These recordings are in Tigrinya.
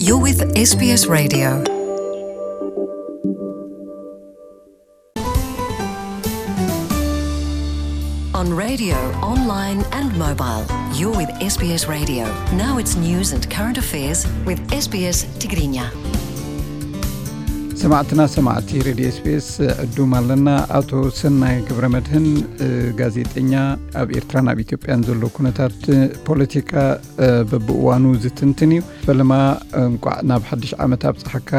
You're with S B S Radio. On radio, online and mobile, you're with S B S Radio. Now it's news and current affairs with S B S Tigrinya. ሰማዕትና ሰማዕቲ ሬድዮ ኤስቢኤስ፣ ዕዱም ኣለና። ኣቶ ሰናይ ገብረ መድህን፣ ጋዜጠኛ፣ ኣብ ኤርትራን ኣብ ኢትዮጵያን ዘሎ ኩነታት ፖለቲካ በብእዋኑ ዝትንትን እዩ። ፈለማ እንቋዕ ናብ ሓድሽ ዓመት ኣብጽሓካ።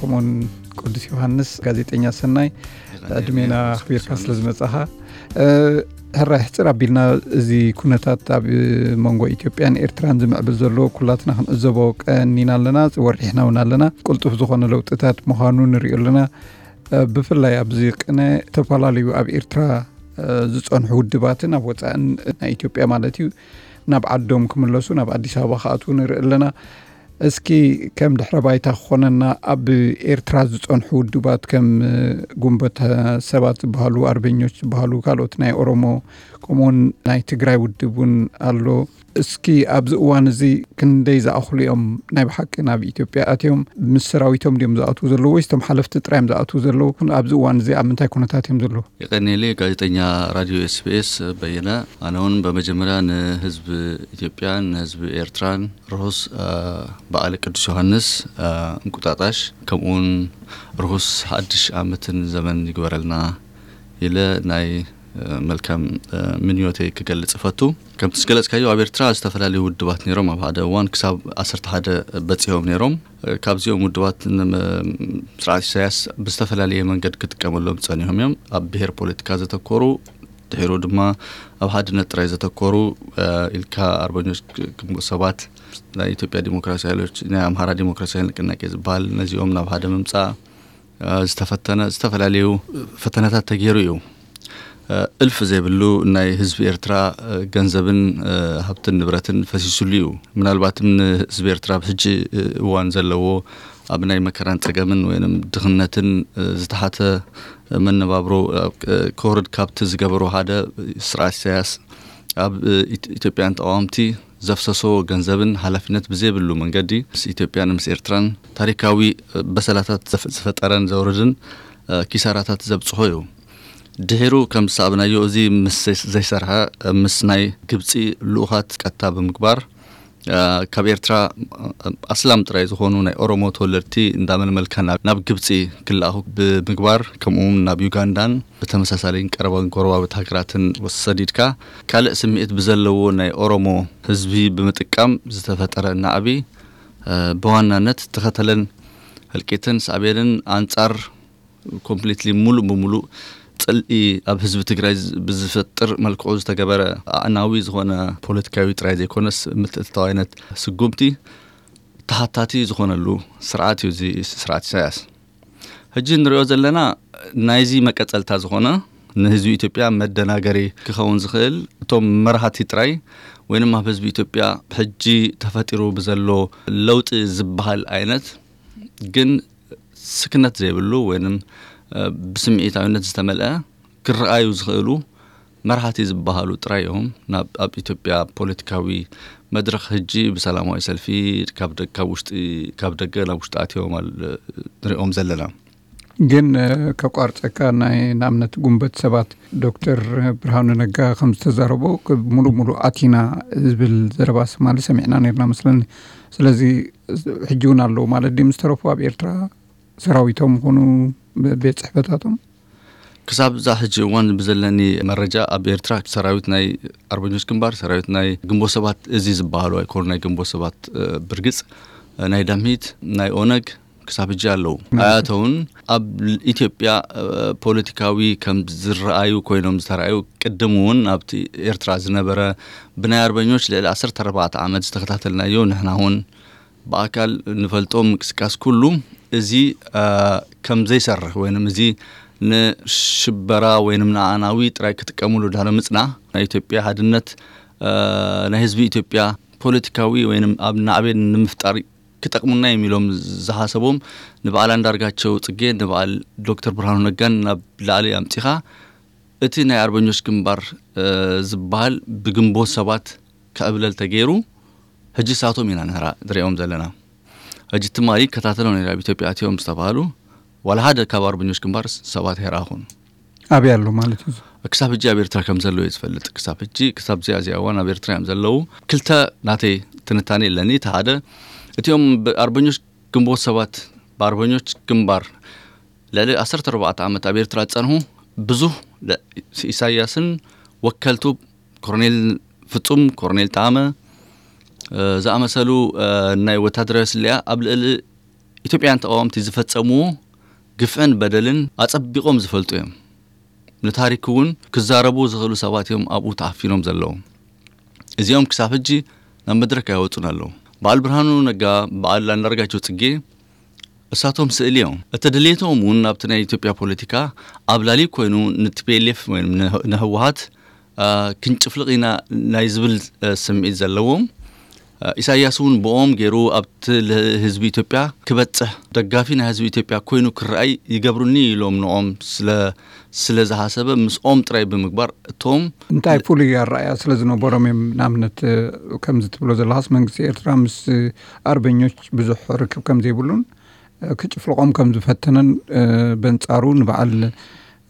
ከምኡውን ቅዱስ ዮሃንስ። ጋዜጠኛ ሰናይ፣ ዕድሜና ኣኽቢርካ ስለ ዝመጻኻ። ሕራይ ሕጽር ኣቢልና እዚ ኩነታት ኣብ መንጎ ኢትዮጵያን ኤርትራን ዝምዕብል ዘሎ ኩላትና ክንዕዘቦ ቀኒና ኣለና፣ ወሪሕና እውን ኣለና። ቅልጡፍ ዝኾነ ለውጥታት ምዃኑ ንሪኦ ኣለና። ብፍላይ ኣብዚ ቅነ ዝተፈላለዩ ኣብ ኤርትራ ዝጸንሑ ውድባትን ኣብ ወጻእን ናይ ኢትዮጵያ ማለት እዩ ናብ ዓዶም ክምለሱ ናብ ኣዲስ ኣበባ ክኣትዉ ንርኢ ኣለና። እስኪ ከም ድሕረ ባይታ ክኾነና ኣብ ኤርትራ ዝጸንሑ ውድባት ከም ጉንበት ሰባት ዝበሃሉ ኣርበኞች ዝበሃሉ ካልኦት ናይ ኦሮሞ ከምኡውን ናይ ትግራይ ውድብ እውን ኣሎ። እስኪ ኣብዚ እዋን እዚ ክንደይ ዝኣኽሉ እዮም ናይ ብሓቂ ናብ ኢትዮጵያ ኣትዮም? ምስ ሰራዊቶም ድዮም ዝኣትዉ ዘለዉ ወይስ እቶም ሓለፍቲ ጥራይ እዮም ዝኣትዉ ዘለዉ? ኣብዚ እዋን እዚ ኣብ ምንታይ ኩነታት እዮም ዘለዉ? የቐንየለይ ጋዜጠኛ ራድዮ ኤስቢኤስ በየነ። ኣነ እውን በመጀመርያ ንህዝቢ ኢትዮጵያን ንህዝቢ ኤርትራን ርሁስ በዓል ቅዱስ ዮሃንስ እንቁጣጣሽ ከምኡውን ርሁስ ሓድሽ ዓመትን ዘመን ይግበረልና ኢለ ናይ መልካም ምንዮተይ ክገልጽ እፈቱ። ከምቲ ዝገለጽካዮ ኣብ ኤርትራ ዝተፈላለዩ ውድባት ነይሮም። ኣብ ሓደ እዋን ክሳብ ዓሰርተ ሓደ በጺሖም ነይሮም። ካብዚኦም ውድባት ስርዓት ኢሳያስ ብዝተፈላለየ መንገድ ክጥቀመሎም ጸኒሖም እዮም። ኣብ ብሄር ፖለቲካ ዘተኮሩ፣ ድሒሩ ድማ ኣብ ሓድነት ጥራይ ዘተኮሩ ኢልካ ኣርበኞች ግንቦት ሰባት፣ ናይ ኢትዮጵያ ዲሞክራሲ ሓይሎች፣ ናይ ኣምሓራ ዲሞክራሲያዊ ንቅናቄ ዝበሃል፣ ነዚኦም ናብ ሓደ ምምጻእ ዝተፈተነ ዝተፈላለዩ ፈተነታት ተገይሩ እዩ። እልፍ ዘይብሉ ናይ ህዝቢ ኤርትራ ገንዘብን ሃብትን ንብረትን ፈሲሱሉ እዩ። ምናልባትም ንህዝቢ ኤርትራ ኣብ ሕጂ እዋን ዘለዎ ኣብ ናይ መከራን ጸገምን ወይም ድኽነትን ዝተሓተ መነባብሮ ከወርድ ካብቲ ዝገበሩ ሓደ ስርዓት ኢሳያስ ኣብ ኢትዮጵያን ተቃወምቲ ዘፍሰሶ ገንዘብን ሓላፊነት ብዘይብሉ መንገዲ ምስ ኢትዮጵያን ምስ ኤርትራን ታሪካዊ በሰላታት ዝፈጠረን ዘውርድን ኪሳራታት ዘብጽሖ እዩ። ድሒሩ ከም ዝሰኣብናዮ እዚ ምስ ዘይሰርሐ ምስ ናይ ግብጺ ልኡኻት ቀጥታ ብምግባር ካብ ኤርትራ ኣስላም ጥራይ ዝኾኑ ናይ ኦሮሞ ተወለድቲ እንዳመልመልካ ናብ ግብጺ ክለኣኹ ብምግባር ከምኡውን ናብ ዩጋንዳን ብተመሳሳሊን ቀረባን ጎረባብት ሃገራትን ወሰዲድካ ካልእ ስምዒት ብዘለዎ ናይ ኦሮሞ ህዝቢ ብምጥቃም ዝተፈጠረ ናዕቢ ብዋናነት ተኸተለን ህልቂትን ሳዕቤንን ኣንጻር ኮምፕሊትሊ ሙሉእ ብሙሉእ ጽልኢ ኣብ ህዝቢ ትግራይ ብዝፈጥር መልክዑ ዝተገበረ ኣዕናዊ ዝኾነ ፖለቲካዊ ጥራይ ዘይኮነስ ምትእትታዋይነት ስጉምቲ ተሓታቲ ዝኾነሉ ስርዓት እዩ እዚ ስርዓት ኢሳያስ። ሕጂ ንሪኦ ዘለና ናይዚ መቀጸልታ ዝኾነ ንህዝቢ ኢትዮጵያ መደናገሪ ክኸውን ዝኽእል እቶም መራሃቲ ጥራይ ወይንም ኣብ ህዝቢ ኢትዮጵያ ሕጂ ተፈጢሩ ብዘሎ ለውጢ ዝበሃል ዓይነት ግን ስክነት ዘይብሉ ወይንም ብስምዒታዊነት ዝተመልአ ክረኣዩ ዝኽእሉ መራሕቲ ዝበሃሉ ጥራይ እዮም ናብ ኣብ ኢትዮጵያ ፖለቲካዊ መድረኽ ሕጂ ብሰላማዊ ሰልፊ ካብ ውሽጢ ካብ ደገ ናብ ውሽጢ ኣትዮም ንሪኦም ዘለና። ግን ከቋርፀካ ናይ ንኣብነት ጉንበት ሰባት ዶክተር ብርሃኑ ነጋ ከም ዝተዛረቦ ሙሉእ ሙሉእ ኣቲና ዝብል ዘረባ ስማሊ ሰሚዕና ነርና መስለኒ። ስለዚ ሕጂ እውን ኣለዉ ማለት ድዩ ምስ ተረፉ ኣብ ኤርትራ ሰራዊቶም ይኹኑ ቤት ጽሕፈታቶም? ክሳብ እዛ ሕጂ እዋን ብዘለኒ መረጃ ኣብ ኤርትራ ሰራዊት ናይ ኣርበኞች ግንባር ሰራዊት ናይ ግንቦት ሰባት እዚ ዝበሃሉ ኣይኮኑ ናይ ግንቦት ሰባት ብርግጽ ናይ ዳምሂት ናይ ኦነግ ክሳብ ሕጂ ኣለዉ ኣያተውን ኣብ ኢትዮጵያ ፖለቲካዊ ከም ዝረኣዩ ኮይኖም ዝተረኣዩ ቅድም እውን ኣብቲ ኤርትራ ዝነበረ ብናይ ኣርበኞች ልዕሊ ዓሰርተ ኣርባዕተ ዓመት ዝተከታተልናዮ ንሕና እውን ብኣካል ንፈልጦ ምንቅስቃስ ኩሉ እዚ ከም ዘይሰርሕ ወይንም እዚ ንሽበራ ወይንም ንኣዕናዊ ጥራይ ክጥቀምሉ ድሕሪ ምጽና ናይ ኢትዮጵያ ሓድነት ናይ ህዝቢ ኢትዮጵያ ፖለቲካዊ ወይንም ኣብ ናዕቤን ንምፍጣር ክጠቕሙና እዮም ኢሎም ዝሓሰቦም ንበዓል ኣንዳርጋቸው ጽጌ ንበዓል ዶክተር ብርሃኑ ነጋን ናብ ላዕሊ ኣምጺኻ እቲ ናይ ኣርበኞች ግንባር ዝበሃል ብግንቦት ሰባት ክዕብለል ተገይሩ ሕጂ ሳቶም ኢና ንሪኦም ዘለና። ሕጂ ትማሊ ይከታተሎ ነይረ ኣብ ኢትዮጵያ ኣትዮም ዝተባህሉ ዋላ ሓደ ካብ ኣርበኞች ግንባር ሰባት ኣይረኣኹን። ኣበይ ኣሎ ማለት እዩ? ክሳብ ሕጂ ኣብ ኤርትራ ከም ዘሎ እየ ዝፈልጥ። ክሳብ ሕጂ፣ ክሳብ እዚኣ እዚኣ እዋን ኣብ ኤርትራ እዮም ዘለዉ። ክልተ ናተይ ትንታኔ ኣለኒ። እቲ ሓደ፣ እቲኦም ብኣርበኞች ግንቦት ሰባት፣ ብኣርበኞች ግንባር ልዕሊ ዓሰርተ ኣርባዕተ ዓመት ኣብ ኤርትራ ዝጸንሑ ብዙህ ለ-፣ ኢሳያስን ወከልቱ ኮርኔል ፍጹም፣ ኮርኔል ጠዓመ፣ እ፣ ዝኣመሰሉ፣ እ፣ ናይ ወታደራዊ ስለያ ኣብ ልዕሊ ኢትዮጵያውያን ተቃወምቲ ዝፈጸምዎ ግፍዕን በደልን ኣጸቢቆም ዝፈልጡ እዮም። ንታሪክ እውን ክዛረቡ ዝኽእሉ ሰባት እዮም ኣብኡ ተኣፊኖም ዘለዉ። እዚኦም ክሳብ ሕጂ ናብ መድረክ ኣይወጹን ኣለዉ። በዓል ብርሃኑ ነጋ፣ በዓል ኣንዳርጋቸው ጽጌ እሳቶም ስእሊ እዮም። እቲ ድሌቶም እውን ኣብቲ ናይ ኢትዮጵያ ፖለቲካ ኣብ ላሊ ኮይኑ ንቲ ፒ ኤል ኤፍ ወይ ንህ-፣ ንህወሓት፣ አ፣ ክንጭፍልቕ ኢና ናይ ዝብል፣ አ፣ ስምዒት ዘለዎም። አ፣ ኢሳያስ እውን ብኦም ገይሩ ኣብቲ ል-፣ ህዝቢ ኢትዮጵያ ክበጽሕ ደጋፊ ናይ ህዝቢ ኢትዮጵያ ኮይኑ ክረኣይ ይገብሩኒ ኢሎም ንኦም ስለ፣ ስለ ዝሓሰበ ምስኦም ጥራይ ብምግባር እቶም እንታይ ፍሉይ ኣረኣያ ስለ ዝነበሮም እዮም? ንኣብነት፣ እ፣ ከምዚ ትብሎ ዘለኻስ መንግስቲ ኤርትራ ምስ፣ እ፣ ኣርበኞች ብዙሕ ርክብ ከም ዘይብሉን፣ እ፣ ክጭፍልቖም ከም ዝፈተነን፣ እ፣ በንጻሩ ንበዓል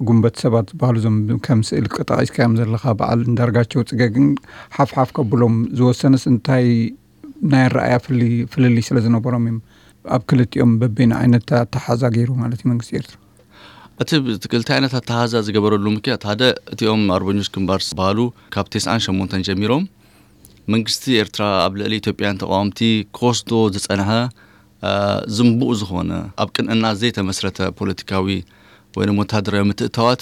ጉንበት ሰባት ዝበሃሉ እዞም ከም ስእሊ ጠቒስካዮም ዘለኻ በዓል እንዳርጋቸው ጽገ ግን ሓፍ ሓፍ ከብሎም ዝወሰነስ እንታይ ናይ ኣረኣያ ፍሊ-፣ ፍልልይ ስለ ዝነበሮም እዮም ኣብ ክልቲኦም በበይኑ ዓይነት ኣተሓዛ ገይሩ ማለት እዩ መንግስቲ ኤርትራ? እቲ ብ-፣ እቲ ክልተ ዓይነት ኣተሓዛ ዝገበረሉ ምክንያት ሓደ እቲኦም ኣርበኞች ግንባር ዝበሃሉ ካብ ተስዓን ሸሞንተን ጀሚሮም መንግስቲ ኤርትራ ኣብ ልዕሊ ኢትዮጵያን ተቃወምቲ ክወስዶ ዝጸንሐ፣ አ፣ ዝንቡእ ዝኾነ ኣብ ቅንዕና ዘይተመስረተ ፖለቲካዊ ወይ ድማ ወታደራዊ ምትእታዋት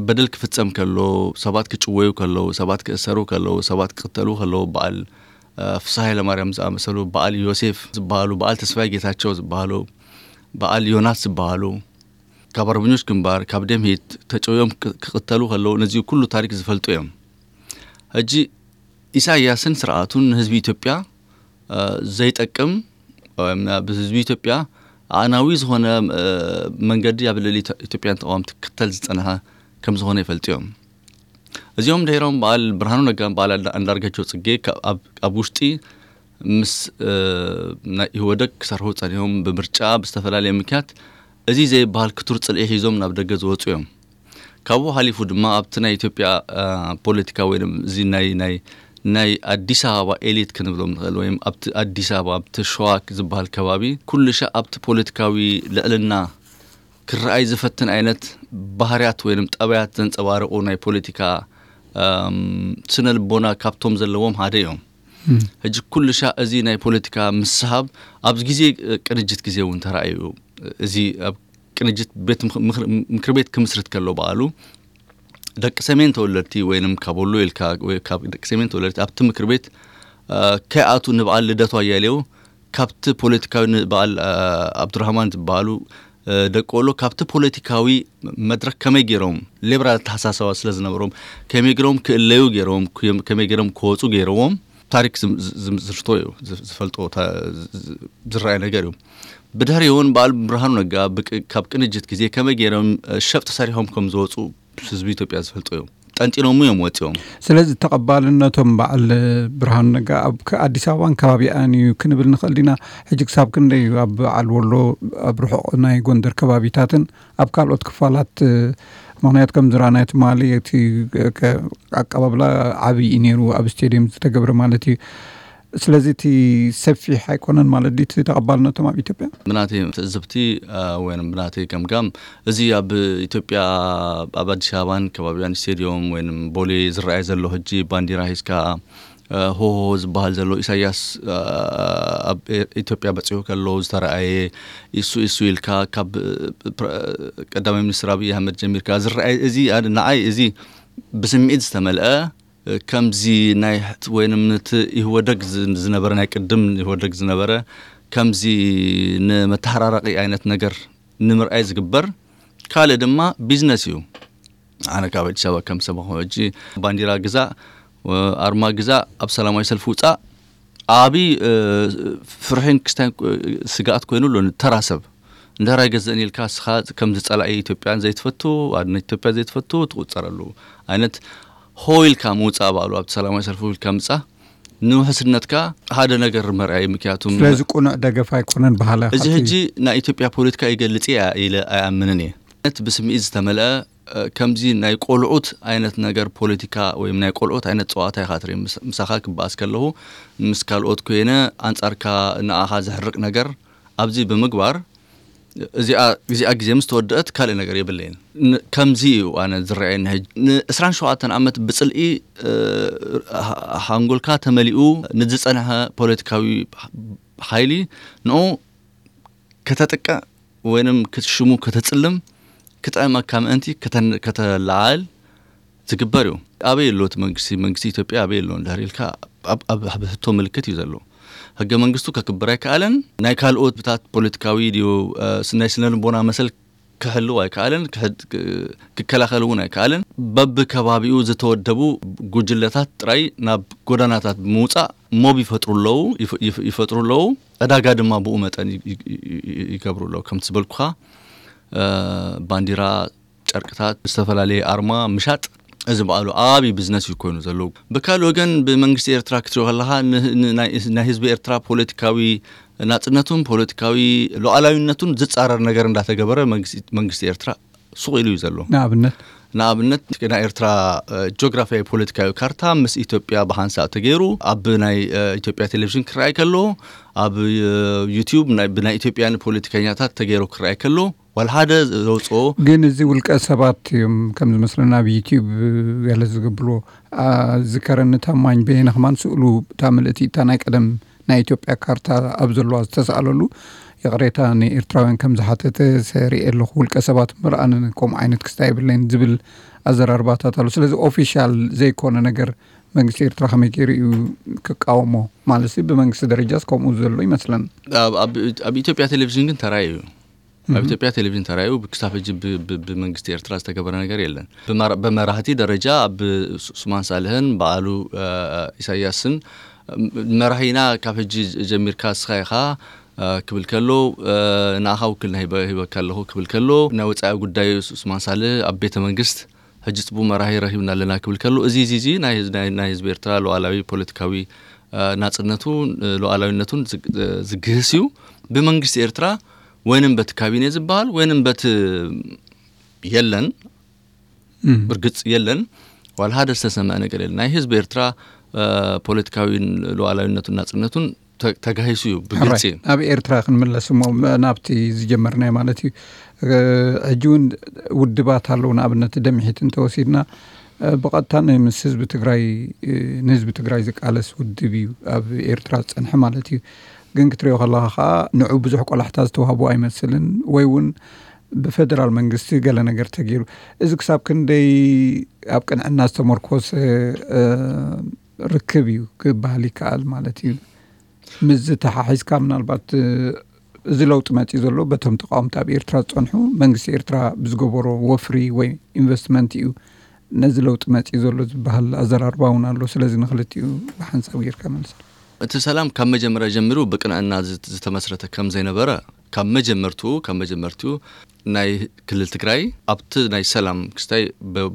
በደል ክፍጸም ከሎ፣ ሰባት ክጭወዩ ከለዉ፣ ሰባት ክእሰሩ ከለዉ፣ ሰባት ክቅተሉ ከለዉ፣ በዓል፣ አ፣ ፍስሃ ሃይለማርያም ዝኣመሰሉ፣ በዓል ዮሴፍ ዝበሃሉ፣ በዓል ተስፋይ ጌታቸው ዝበሃሉ፣ በዓል ዮናስ ዝበሃሉ፣ ካብ ኣርበኞች ግንባር፣ ካብ ደምሂት ተጨውዮም ክ-፣ ክቅተሉ ከለዉ፣ ነዚ ኩሉ ታሪክ ዝፈልጡ እዮም። ሕጂ ኢሳያስን ስርዓቱን ንህዝቢ ኢትዮጵያ፣ እ፣ ዘይጠቅም፣ ወይም ኣብ ህዝቢ ኢትዮጵያ ኣዕናዊ ዝኾነ፣ እ፣ መንገዲ ኣብ ልዕሊ ኢትዮ-፣ ኢትዮጵያን ተቃወምቲ ክክተል ዝጸንሐ ከም ዝኾነ ይፈልጡ እዮም። እዚኦም ድሒሮም በዓል ብርሃኑ ነጋን በዓል ኣንዳ-፣ ኣንዳርጋቸው ጽጌ ካብ፣ ኣብ፣ ኣብ ውሽጢ ምስ፣ እ፣ ናይ ኢህወደግ ክሰርሑ ጸኒሖም፣ ብምርጫ፣ ብዝተፈላለየ ምክንያት፣ እዚ ዘይበሃል ክቱር ጽልኢ ሒዞም ናብ ደገ ዝወጹ እዮም። ካብኡ ሓሊፉ ድማ ኣብቲ ናይ ኢትዮጵያ፣ እ፣ ፖለቲካ ወይ ድማ እዚ ናይ፣ ናይ፣ ናይ ኣዲስ ኣበባ ኤሊት ክንብሎም ንኽእል፣ ወይም ኣብቲ ኣዲስ ኣበባ፣ ኣብቲ ሸዋ ዝበሃል ከባቢ፣ ኩሉ ሻዕ ኣብቲ ፖለቲካዊ ልዕልና ክረኣይ ዝፈትን ዓይነት ባህርያት ወይም ጠባያት ዘንጸባርቑ ናይ ፖለቲካ፣ እም፣ ስነ ልቦና ካብቶም ዘለዎም ሓደ እዮም። እም። ሕጂ ኩሉ ሻዕ እዚ ናይ ፖለቲካ ምስሃብ ኣብዚ ግዜ፣ እ፣ ቅንጅት ግዜ እውን ተራእዩ። እዚ ኣብ ቅንጅት ቤት ምኽ-፣ ምኽር-፣ ምክር ቤት ክምስርት ከሎ በዓሉ ደቂ ሰሜን ተወለድቲ ወይንም ካብ ወሎ ኢልካ ወይ ካብ ደቂ ሰሜን ተወለድቲ ኣብቲ ምክር ቤት፣ እ፣ ከይኣቱ ንበዓል ልደቱ ኣያሌው ካብቲ ፖለቲካዊ ንበዓል፣ እ፣ ኣብዱራህማን ዝበሃሉ፣ እ፣ ደቂ ወሎ ካብቲ ፖለቲካዊ መድረክ ከመይ ገይሮም ሌብራል ኣተሓሳሰባ ስለ ዝነበሮም ከመይ ገይሮም ክእለዩ ገይሮም፣ ከመይ ገይሮም ክወፁ ገይረዎም ታሪክ ዝም-፣ ዝም-፣ ዝምስርቶ እዩ፣ ዝ-፣ ዝፈልጦ ታ-፣ ዝ-፣ ዝ-፣ ዝረኣይ ነገር እዩ። ብድሕሪ እውን በዓል ብርሃኑ ነጋ ብቅ-፣ ካብ ቅንጅት ግዜ ከመይ ገይሮም፣ እ፣ ሸፍጥ ሰሪሖም ከም ዝወፁ ህዝቢ ኢትዮጵያ ዝፈልጦ እዩ። ጠንጢኖም እዮም ወፂኦም። ስለዚ ተቐባልነቶም በዓል ብርሃኑ ነጋ ኣብ ከ-፣ ኣዲስ ኣበባን ከባቢኣን እዩ ክንብል ንኽእል ዲና? ሕጂ ክሳብ ክንደይ እዩ ኣብ በዓል ወሎ፣ ኣብ ርሑቕ ናይ ጎንደር ከባቢታትን ኣብ ካልኦት ክፋላት፣ እ፣ ምኽንያት ከም ዝረኣናዮ ትማሊ እቲ ከ-፣ ኣቀባብላ ዓብዪ እዩ ነይሩ፣ ኣብ ስቴድየም ዝተገብረ ማለት እዩ። ስለዚ እቲ ሰፊሕ ኣይኮነን ማለት ድዩ እቲ ተቐባልነቶም ኣብ ኢትዮጵያ? ብናተይ ትዕዝብቲ፣ አ፣ ወይም ብናተይ ገምጋም፣ እዚ ኣብ ኢትዮጵያ፣ ኣብ ኣዲስ ኣበባን ከባቢያን ስቴድዮም ወይም ቦሌ ዝረኣይ ዘሎ ሕጂ ባንዲራ ሒዝካ፣ አ፣ ሆሆ ዝበሃል ዘሎ ኢሳያስ፣ አ፣ ኣብ ኤ-፣ ኢትዮጵያ በጺሑ ከሎ ዝተረኣየ ኢሱ ኢሱ ኢልካ ካብ፣ አ፣ ፕረ-፣ ቀዳማይ ሚኒስትር ኣብይ ኣህመድ ጀሚርካ ዝረኣይ፣ እዚ ኣነ፣ ንዓይ እዚ ብስምዒት ዝተመልአ፣ ከምዚ ናይ ሕት-፣ ወይንም ነቲ ኢህወደግ ዝ-፣ ዝነበረ፣ ናይ ቅድም ኢህወደግ ዝነበረ ከምዚ ንመተሃራረቂ ዓይነት ነገር ንምርኣይ ዝግበር፣ ካልእ ድማ ቢዝነስ እዩ። ኣነ ካብ ኣዲስ ኣበባ ከም ሰማኹ ሕጂ ባንዲራ ግዛእ፣ ኣርማ ግዛእ፣ ኣብ ሰላማዊ ሰልፊ ውፃእ፣ ዓቢ፣ እ፣ ፍርሒን ክስታይን፣ እ፣ ስግኣት ኮይኑ ኣሎ ንተራ ሰብ። እንድሕር ኣይገዝእን ኢልካ፣ እስኻ ከምዚ ጸላኢ ኢትዮጵያን ዘይትፈቱ፣ ኣድነት ኢትዮጵያ ዘይትፈቱ ትቑጸረሉ ዓይነት ሆ ኢልካ ምውጻእ ባዕሉ ኣብቲ ሰላማዊ ሰልፊ ኢልካ ምጻእ፣ ንውሕስነትካ ሓደ ነገር መርኣይ ምክንያቱ ስለዚ ቁኑዕ ደገፍ ኣይኮነን ባህላ እዚ ሕጂ ናይ ኢትዮጵያ ፖለቲካ ይገልጽ እያ ኢለ ኣይኣምንን እየ። እቲ ብስምዒት ዝተመልአ ከምዚ ናይ ቆልዑት ዓይነት ነገር ፖለቲካ ወይ ናይ ቆልዑት ዓይነት ጸዋታ ኢኻ ትርኢ። ምሳኻ ክበኣስ ከለኹ ምስ ካልኦት ኮይነ ኣንጻርካ ንኣኻ ዘሕርቕ ነገር ኣብዚ ብምግባር እዚኣ ግዜ ምስ ተወደአት ካልእ ነገር የብለይን። ከምዚ እዩ ኣነ ዝረኣየኒ። ሕጂ ን27 ዓመት ብጽልኢ ሃንጎልካ ተመሊኡ ንዝጸንሐ ፖለቲካዊ ሓይሊ ንኡ ከተጥቅዕ ወይንም ክትሽሙ ከተጽልም ክጥዕመካ ምእንቲ ከተለዓል ዝግበር እዩ። ኣበይ ኣሎ እቲ መንግስቲ? መንግስቲ ኢትዮጵያ ኣበይ ኣሎ እንድሕር ኢልካ ኣብ ሕቶ ምልክት እዩ ዘሎ። ህገ መንግስቱ ከክብር ኣይከኣለን። ናይ ካልኦት ብታት ፖለቲካዊ ድዩ ናይ ስነ ልቦና መሰል ክሕልው ኣይከኣለን፣ ክከላኸል እውን ኣይከኣለን። በብከባቢኡ ዝተወደቡ ጉጅለታት ጥራይ ናብ ጎዳናታት ብምውፃእ ሞብ ይፈጥሩ ኣለዉ ይፈጥሩ ኣለዉ። ዕዳጋ ድማ ብኡ መጠን ይገብሩ ኣለዉ። ከምቲ ዝበልኩኻ ባንዲራ፣ ጨርቅታት፣ ዝተፈላለየ ኣርማ ምሻጥ እዚ በዓሉ ዓብዪ ቢዝነስ እዩ ኮይኑ ዘለዉ። ብካልእ ወገን ብመንግስቲ ኤርትራ ክትሪኦ ከለኻ ናይ ህዝቢ ኤርትራ ፖለቲካዊ ናጽነቱን ፖለቲካዊ ሉዓላዊነቱን ዝጻረር ነገር እንዳተገበረ መንግስቲ ኤርትራ ሱቕ ኢሉ እዩ ዘሎ። ንኣብነት ንኣብነት ናይ ኤርትራ ጂኦግራፊያዊ ፖለቲካዊ ካርታ ምስ ኢትዮጵያ ብሓንሳእ ተገይሩ ኣብ ናይ ኢትዮጵያ ቴሌቪዥን ክረኣይ ከሎ ኣብ ዩቲዩብ ብናይ ኢትዮጵያን ፖለቲከኛታት ተገይሩ ክረኣይ ከሎ ዋላ ሓደ ዘውፅኦ ግን እዚ ውልቀ ሰባት እዮም ከም ዝመስለና ኣብ ዩቲዩብ ገለ ዝገብርዎ። ዝከረኒ ታማኝ በየነ ከማን ስእሉ እታ ምልእቲ እታ ናይ ቀደም ናይ ኢትዮጵያ ካርታ ኣብ ዘለዋ ዝተሰኣለሉ ይቕሬታ ንኤርትራውያን ከም ዝሓተተ ሰሪኤ ኣለኹ። ውልቀ ሰባት ምርኣን ከምኡ ዓይነት ክስታይ የብለይን ዝብል ኣዘራርባታት ኣሎ። ስለዚ ኦፊሻል ዘይኮነ ነገር መንግስቲ ኤርትራ ከመይ ገይሩ እዩ ክቃወሞ? ማለት ብመንግስቲ ደረጃስ ከምኡ ዘሎ ይመስለን። ኣብ ኢትዮጵያ ቴሌቪዥን ግን ተራእዩ እዩ። ኣብ ኢትዮጵያ ቴሌቪዥን ተራእዩ ክሳብ ሕጂ ብመንግስቲ ኤርትራ ዝተገበረ ነገር የለን። ብመራህቲ ደረጃ ኣብ ሱማን ሳልህን በዓሉ ኢሳያስን መራሂና ካብ ሕጂ ጀሚርካ እስኻ ኢኻ ክብል ከሎ ንኣኻ ውክልና ሂበካ ኣለኹ ክብል ከሎ ናይ ወፃኢ ጉዳይ ሱማን ሳልህ ኣብ ቤተ መንግስት ሕጂ ፅቡቅ መራሂ ረኺብና ኣለና ክብል ከሎ እዚ እዚ እዚ ናይ ህዝቢ ኤርትራ ሉዓላዊ ፖለቲካዊ ናጽነቱ ሉዓላዊነቱን ዝግህስ እዩ። ብመንግስቲ ኤርትራ ወይንም በቲ ካቢኔ ዝበሃል ወይንም በቲ የለን ብርግጽ የለን ዋላ ሓደ ዝተሰምዐ ነገር የለን። ናይ ህዝቢ ኤርትራ ፖለቲካዊ ሉዓላዊነቱን ናጽነቱን ተጋሂሱ እዩ ብግልፂ። ናብ ኤርትራ ክንምለስ እሞ ናብቲ ዝጀመርናዮ ማለት እዩ። ሕጂ እውን ውድባት ኣለዉ። ንኣብነት ደምሒት እንተወሲድና ብቐጥታ ምስ ህዝቢ ትግራይ ንህዝቢ ትግራይ ዝቃለስ ውድብ እዩ ኣብ ኤርትራ ዝፀንሐ ማለት እዩ። ግን ክትሪኦ ከለኻ ከዓ ንዑ ብዙሕ ቆላሕታ ዝተዋህቦ ኣይመስልን ወይ እውን ብፌደራል መንግስቲ ገለ ነገር ተገይሩ። እዚ ክሳብ ክንደይ ኣብ ቅንዕና ዝተመርኮሰ ርክብ እዩ ክበሃል ይከኣል ማለት እዩ። ምስዚ ተሓሒዝካ ምናልባት እዚ ለውጢ መፂኡ ዘሎ በቶም ተቃወምቲ ኣብ ኤርትራ ዝፀንሑ መንግስቲ ኤርትራ ብዝገበሮ ወፍሪ ወይ ኢንቨስትመንት እዩ ነዚ ለውጢ መፂኡ ዘሎ ዝበሃል ኣዘራርባ እውን ኣሎ። ስለዚ ንክልቲኡ ብሓንሳብ ጌርካ መልስ። እቲ ሰላም ካብ መጀመርያ ጀሚሩ ብቅንዕና ዝተመስረተ ከም ዘይነበረ ካብ መጀመርትኡ ካብ መጀመርትኡ ናይ ክልል ትግራይ ኣብቲ ናይ ሰላም ክስታይ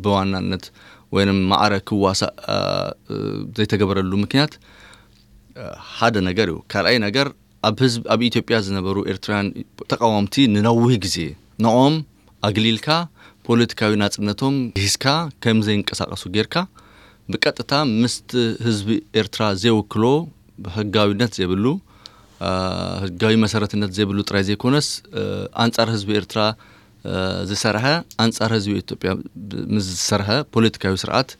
ብዋናነት ወይም ማዕረ ክዋሳእ ዘይተገበረሉ ምክንያት ሓደ ነገር እዩ። ካልኣይ ነገር ኣብ ህዝብ ኣብ ኢትዮጵያ ዝነበሩ ኤርትራውያን ተቃወምቲ ንነዊህ ግዜ ንኦም ኣግሊልካ ፖለቲካዊ ናጽነቶም ሂዝካ ከም ዘይንቀሳቀሱ ጌርካ ብቀጥታ ምስቲ ህዝቢ ኤርትራ ዘይውክሎ ህጋዊነት ዘይብሉ ህጋዊ መሰረትነት ዘይብሉ ጥራይ ዘይኮነስ ኣንጻር ህዝቢ ኤርትራ ዝሰርሐ ኣንጻር ህዝቢ ኢትዮጵያ ምስ ዝሰርሐ ፖለቲካዊ ስርዓት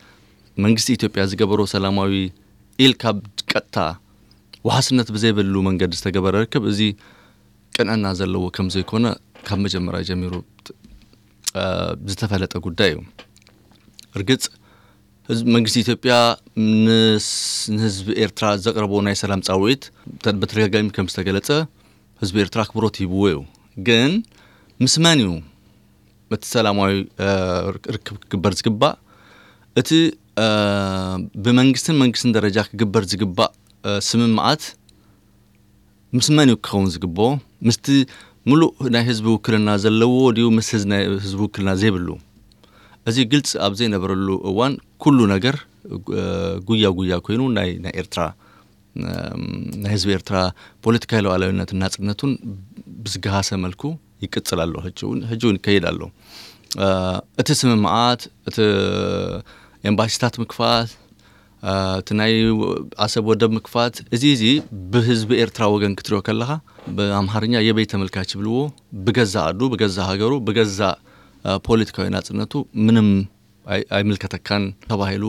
መንግስቲ ኢትዮጵያ ዝገበሮ ሰላማዊ ኢልካ ቀጥታ ዋሕስነት ብዘይብሉ መንገዲ ዝተገበረ ርክብ እዚ ቅንዕና ዘለዎ ከም ዘይኮነ ካብ መጀመርያ ጀሚሩ ዝተፈለጠ ጉዳይ እዩ። እርግጽ ህዝቢ መንግስቲ ኢትዮጵያ ንህዝቢ ኤርትራ ዘቅረቦ ናይ ሰላም ጻውዒት በተደጋጋሚ ከም ዝተገለጸ ህዝቢ ኤርትራ ኣክብሮት ሂብዎ እዩ። ግን ምስ መን እዩ እቲ ሰላማዊ ርክብ ክግበር ዝግባእ? እቲ ብመንግስትን መንግስትን ደረጃ ክግበር ዝግባእ ስምምዓት ምስ መን እዩ ክኸውን ዝግብኦ? ምስቲ ምሉእ ናይ ህዝቢ ውክልና ዘለዎ ድዩ ምስ ናይ ህዝቢ ውክልና ዘይብሉ? እዚ ግልፂ ኣብ ዘይነበረሉ እዋን ኩሉ ነገር ጉያ ጉያ ኮይኑ ናይ ኤርትራ ናይ ህዝቢ ኤርትራ ፖለቲካዊ ሉዓላዊነትን ናጽነቱን ብዝገሃሰ መልኩ ይቅጽል ኣሎ። ሕጂ እውን ሕጂ እውን ይከይድ ኣሎ። እቲ ስምምዓት፣ እቲ ኤምባሲታት ምክፋት፣ እቲ ናይ ኣሰብ ወደብ ምክፋት፣ እዚ እዚ ብህዝቢ ኤርትራ ወገን ክትሪኦ ከለኻ፣ ብኣምሓርኛ የበይ ተመልካች ይብልዎ፣ ብገዛ ኣዱ፣ ብገዛ ሃገሩ፣ ብገዛ ፖለቲካዊ ናጽነቱ ምንም ኣይምልከተካን ተባሂሉ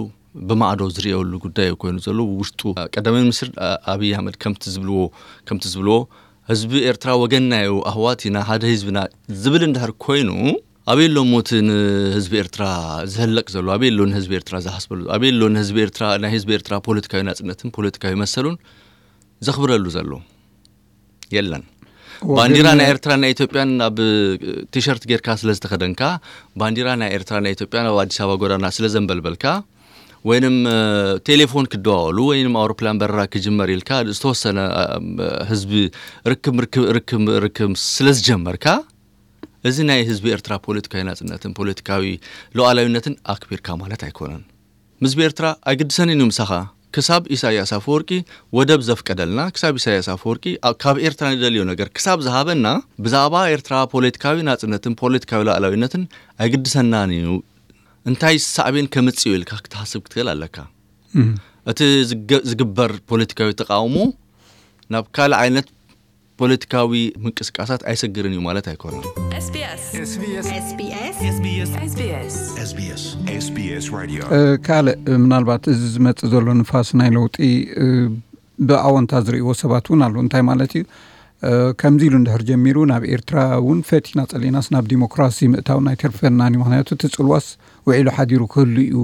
ብማዕዶ ዝርእየሉ ጉዳይ ኮይኑ ዘሎ ውሽጡ ቀዳማይ ሚኒስትር ኣብይ ኣሕመድ ከምቲ ዝብልዎ ከምቲ ዝብልዎ ህዝቢ ኤርትራ ወገንና እዩ፣ ኣህዋት ኢና፣ ሓደ ህዝብና ዝብል እንድሕር ኮይኑ፣ ኣበይ ኣሎ እቲ ንህዝቢ ኤርትራ ዝህለቅ ዘሎ? ኣበይ ኣሎ ንህዝቢ ኤርትራ ዝሓስበሉ? ኣበይ ኣሎ ንህዝቢ ኤርትራ፣ ናይ ህዝቢ ኤርትራ ፖለቲካዊ ናጽነትን ፖለቲካዊ መሰሉን ዘኽብረሉ ዘሎ? የለን። ባንዲራ ናይ ኤርትራ ናይ ኢትዮጵያን ኣብ ቲሸርት ጌርካ ስለ ዝተኸደንካ፣ ባንዲራ ናይ ኤርትራ ናይ ኢትዮጵያን ኣብ ኣዲስ ኣበባ ጎዳና ስለ ዘንበልበልካ፣ ወይንም ቴሌፎን ክደዋወሉ ወይንም ኣውሮፕላን በረራ ክጅመር ኢልካ ዝተወሰነ ህዝቢ ርክብ ርክብ ርክብ ርክብ ስለ ዝጀመርካ፣ እዚ ናይ ህዝቢ ኤርትራ ፖለቲካዊ ናጽነትን ፖለቲካዊ ሉዓላዊነትን ኣክቢርካ ማለት ኣይኮነን። ህዝቢ ኤርትራ ኣይግድሰንን እዩ ምሳኻ። ክሳብ ኢሳያስ ኣፈወርቂ ወደብ ዘፍቀደልና፣ ክሳብ ኢሳያስ ኣፈወርቂ ካብ ኤርትራ ንደልዮ ነገር ክሳብ ዝሃበና፣ ብዛዕባ ኤርትራ ፖለቲካዊ ናጽነትን ፖለቲካዊ ሉዓላዊነትን ኣይግድሰናን እዩ። እንታይ ሳዕቤን ከምጽእ ኢልካ ክትሓስብ ክትክእል ኣለካ። እቲ ዝግበር ፖለቲካዊ ተቃውሞ ናብ ካልእ ዓይነት ፖለቲካዊ ምንቅስቃሳት ኣይሰግርን እዩ ማለት ኣይኮነን። SBS SBS SBS SBS SBS SBS SBS Radio። ካልእ ምናልባት እዚ ዝመጽእ ዘሎ ንፋስ ናይ ለውጢ ብኣወንታ ዝርእይዎ ሰባት እውን ኣሎ። እንታይ ማለት እዩ? ከምዚ ኢሉ እንድሕር ጀሚሩ ናብ ኤርትራ እውን ፈቲና ጸሊናስ ናብ ዲሞክራሲ ምእታው ናይ ተርፈናን እዩ። ምክንያቱ እቲ ጽልዋስ ውዒሉ ሓዲሩ ክህሉ እዩ።